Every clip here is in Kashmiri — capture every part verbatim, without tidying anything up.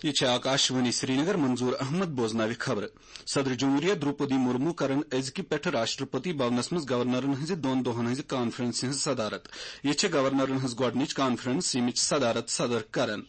یہِ چھِ آکاشوانی سرینگر۔ منظور احمد بوزناوِ خبرٕ۔ صدر جمہوریہ دروپدی مرمو کرن أزکہِ پٮ۪ٹھٕ راشٹرپتی بھونس منٛز گورنرن ہٕنٛزِ دۄن دۄہن ہٕنٛزِ کانفرنسہِ ہٕنٛز صدارت۔ یہِ چھِ گورنرن ہٕنٛز گۄڈٕنِچ کانفرنس، ییٚمِچ صدارت صدر کرن۔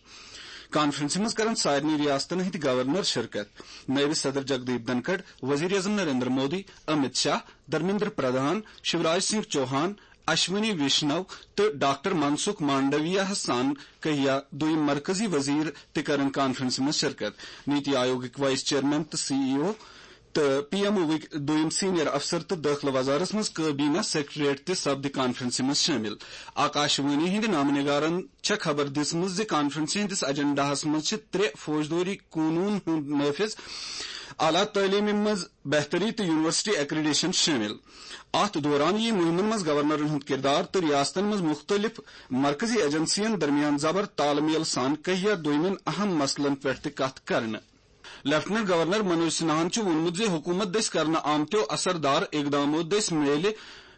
کانفرنسہِ منٛز کرن سارنٕے ریاستن ہٕنٛدۍ گورنر شرکت۔ نٲیِب صدر جگدیپ دھنکھڑ، وزیر اعظم نریندر مودی، امت شاہ، دھرمیندر پردھان، شیوراج سنگھ چوہان، اشونی ویشنو تہٕ ڈاکٹر منسکھ مانڈویہ ہس سان کہیا دویم مرکزی وزیر تہِ کرن کانفرنسہِ منٛز شرکت۔ نیتی آیوگٕکۍ وائس چیئرمین تہٕ سی ای او تہٕ پی ایم اووٕکۍ دویم سینئر افسر تہٕ دٲخلہٕ وزارس منٛز کابینہ سیکریٹریٹ تہِ سپدِ کانفرنسہِ منٛز شٲمِل۔ آکاشوانی ہٕنٛدِ نامہٕ نگارن چھےٚ خبر دِژمٕژ زِ کانفرنسہِ ہٕنٛدِس ایجنڈاہس منٛز چھِ ترٛےٚ فوجدٲری قونوٗن ہُنٛد نافذ، اعلیٰ تعلیمہِ منٛز بہتری تہٕ یونیورسٹی ایکریڈیشن شٲمِل۔ اتھ دوران یِیہِ مُہِمن منٛز گورنرن ہُنٛد کِردار تہٕ ریاستن منٛز مُختٔلِف مرکزی ایجنسین درمیان زبر تال میل سان کہیا دویمٮ۪ن اہم مسلن پٮ۪ٹھ تہِ کتھ کرنہٕ۔ لیفٹیننٹ گورنر منوج سنہاہن چھُ ووٚنمُت زِ حکوٗمت دٔسۍ کرنہٕ آمتیو اثر دار اقدامو دٔسۍ میلہِ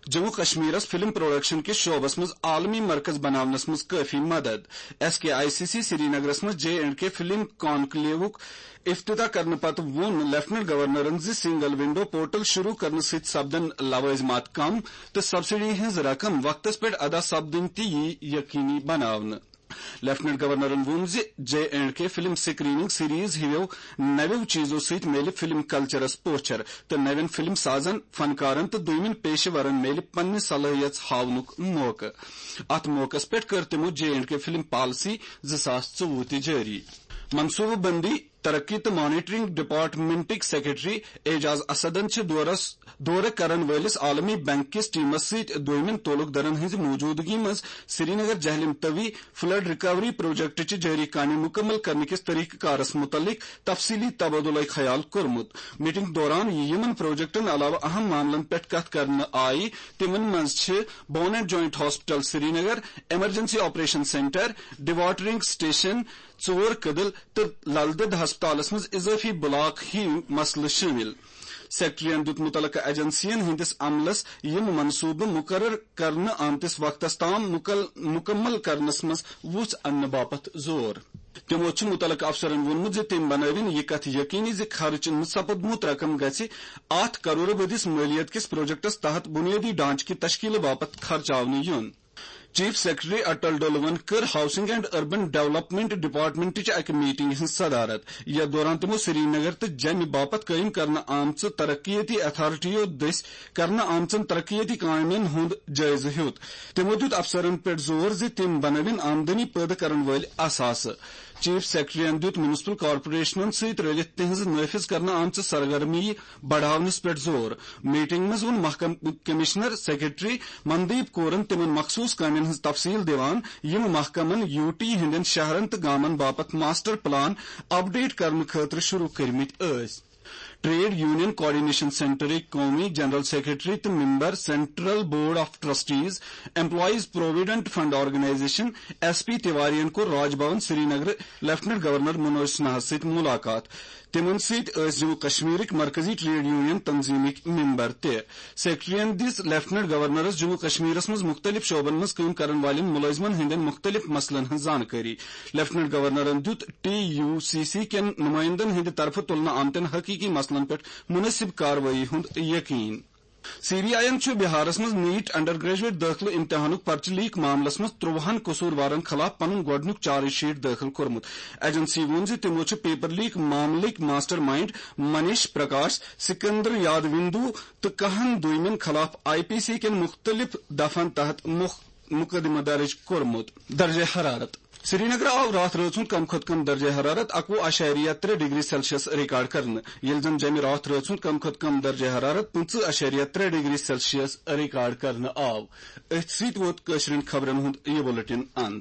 جموں کشمیرس فلم پروڈکشن کِس شعبس منٛز عالمی مرکز بناونس منٛز کٲفی مدد۔ S K I C C سرینگرس منٛز جے اینڈ کے فلم کانکلیوُک افتتاح کرنہٕ پتہٕ ووٚن لیفٹیننٹ گورنرن زِ سنگل ونڈو پورٹل شروع کرنہٕ سۭتۍ سپدن لوازمات کم تہٕ سبسڈی ہٕنٛز رقم وقتس پٮ۪ٹھ ادا سپدٕنۍ تہِ یِیہِ یقینی بناونہٕ۔ لیفٹیننٹ گورنرن ووٚن زِ J and K film screening series ہِویو نویو چیزو سۭتۍ میلہِ فلم کلچرس پوچھر تہٕ نوین فلم سازن، فنکارن تہٕ دویمٮ۪ن پیشہٕ ورن میلہِ پننہِ صلٲحیژ ہاونُک موقعہٕ۔ اتھ موقعس پٮ۪ٹھ کٔر تِمو J and K film policy زٕ ساس ژوٚوُہ تہِ جٲری۔ منصوبہٕ بندی، ترقی تہٕ مانیٹرنگ ڈپارٹمنٹٕکۍ سیکرٹری اعجاز اسدن چھِ دورس، دورٕ کرن وٲلِس عالمی بینک کِس ٹیمس سۭتۍ دویمٮ۪ن تعلق دارن ہٕنٛزِ موجودگی منٛز سرینگر جہلم توی فلڈ ریکوری پروجیکٹٕچہِ جٲری کامہِ مُکمل کرنہٕ کِس طریقہٕ کارس مُتعلق تفصیلی تبادلہ خیال کوٚرمُت۔ میٹنگ دوران یِمن پروجیکٹن علاوٕ اہم معاملن پٮ۪ٹھ کتھ کرنہٕ آیہِ، تِمن منٛز چھِ bone and joint hospital Srinagar, emergency operation centre, D watering station, ژور کدل تہٕ لل دٮ۪د ہسپتالس منٛز اضٲفی بلاک ہی مسلہٕ شٲمِل۔ سیکرٹریَن دیُت مُتعلقہٕ ایجنسیَن ہٕنٛدِس عملس یِم منصوٗبہٕ مُقرر کرنہٕ آمتِس وقتس تام مُکل-، مُکمل کرنس منٛز وُژھ اننہٕ باپتھ زور۔ تِمو چھُ مُتعلقہٕ افسرن ووٚنمُت زِ تِم بنٲوِن یہِ کتھ یقینی زِ خرٕچ نہٕ سپدمُت رقم گژھِ اتھ کرورٕ بٔدِس مٲلیت کِس پروجیکٹس تحت بُنیٲدی ڈھانچہٕ کہِ تشکیلہٕ باپتھ خرچاونہٕ یُن۔ چیف سیکرٹری اٹل ڈولون کٔر ہاؤسنگ اینڈ اربن ڈیولپمنٹ ڈپارٹمنٹٕچ اکہِ میٹنگ ہٕنٛز صدارت، یتھ دوران تِمو سرینگر تہٕ جیٚمہِ باپتھ قٲیِم کرنہٕ آمژٕ ترقیتی اتھارٹیو دٔسۍ کرنہٕ آمژن ترقیتی کامٮ۪ن ہُنٛد جٲیزٕ ہیوٚت۔ تِمو دیُت افسرن پٮ۪ٹھ زور زِ تِم بنٲوِن آمدنی پٲدٕ کرن وٲلۍ اثاثہٕ۔ چیف سیکرٹریَن دیُت میونسپل کارپوریشنن سۭتۍ رٔلِتھ تِہنٛز نافذ کرنہٕ آمژٕ سرگرمی بڑاونس پٮ۪ٹھ زور۔ میٹنگ منٛز ووٚن محکمہٕ کمشنر سیکرٹری مندیپ کورن تِمن مخصوص کامٮ۪ن ہٕنٛز تفصیل دِوان، یِم محکمن یو ٹی ہٕنٛدٮ۪ن شہرن تہٕ گامن باپتھ ماسٹر پلان اپڈیٹ کرنہٕ خٲطرٕ شروع کٔرمٕتۍ ٲسۍ۔ ٹریڈ یونین کوآرڈینیشن سینٹرٕکۍ قومی جنرل سیکرٹری تہٕ member central board of trustees employees provident fund organisation, S P تیوارین کوٚر راج بھون سرینگر لیفٹیننٹ گورنر منوج سنہاہس سۭتۍ ملاقات۔ تِمن سۭتۍ ٲسۍ جموں کشمیرٕکۍ مرکزی ٹریڈ یونین تنظیمٕکۍ ممبر تہِ۔ سیکرٹریَن دِژ لیفٹیننٹ گورنرس جموں کشمیرس منٛز مُختٔلِف شعبن منٛز کٲم کرن والٮ۪ن مُلٲزمن ہٕنٛدٮ۪ن مُختٔلِف مسلن ہٕنٛز زانکٲری۔ لیفٹیننٹ گورنرن دیُت ٹی یو سی سی کٮ۪ن نُمٲیندن ہٕنٛدِ طرفہٕ تُلنہٕ آمتٮ۪ن حقیقی مسلن پٮ۪ٹھ مُنٲسِب کاروٲیی ہُنٛد یقین۔ سی بی آئی یَن چھُ بہارس منٛز نیٹ انڈر گریجویٹ دٲخلہٕ امتحانُک پرچہٕ لیک معاملس منٛز ترٛۆہَن قصوٗروارن خلاف پنُن گۄڈٕنیُک چارج شیٹ دٲخل کوٚرمُت۔ ایجنسی ووٚن زِ تِمو چھُ پیپر لیک معاملٕکۍ ماسٹر مائنڈ منیش پرکاش، سکندر یادوندو تہٕ کاہَن دویمٮ۪ن خلاف آئی پی سی کٮ۪ن مُختٔلِف دفعن تحت مُخ-، مقدمہٕ درج کوٚرمُت۔ درجہ حرارت۔ سرینگر آو راتھ رٲژ ہُنٛد کم کھۄتہٕ کم درجہ حرارت اَکوُہ اَشاریہ ترٛےٚ ڈگری سیلسیس ریکارڈ کرنہٕ، ییٚلہِ زَن جیٚمہِ راتھ رٲژ ہُنٛد کم کھۄتہٕ کم درجہ حرارت پٕنٛژٕہ اَشاریہ ترٛےٚ ڈگری سیلسیس ریکارڈ کرنہٕ آو۔ أتھۍ سۭتۍ ووت کٲشرٮ۪ن خبرن ہُنٛد یہِ بُلٹن اند۔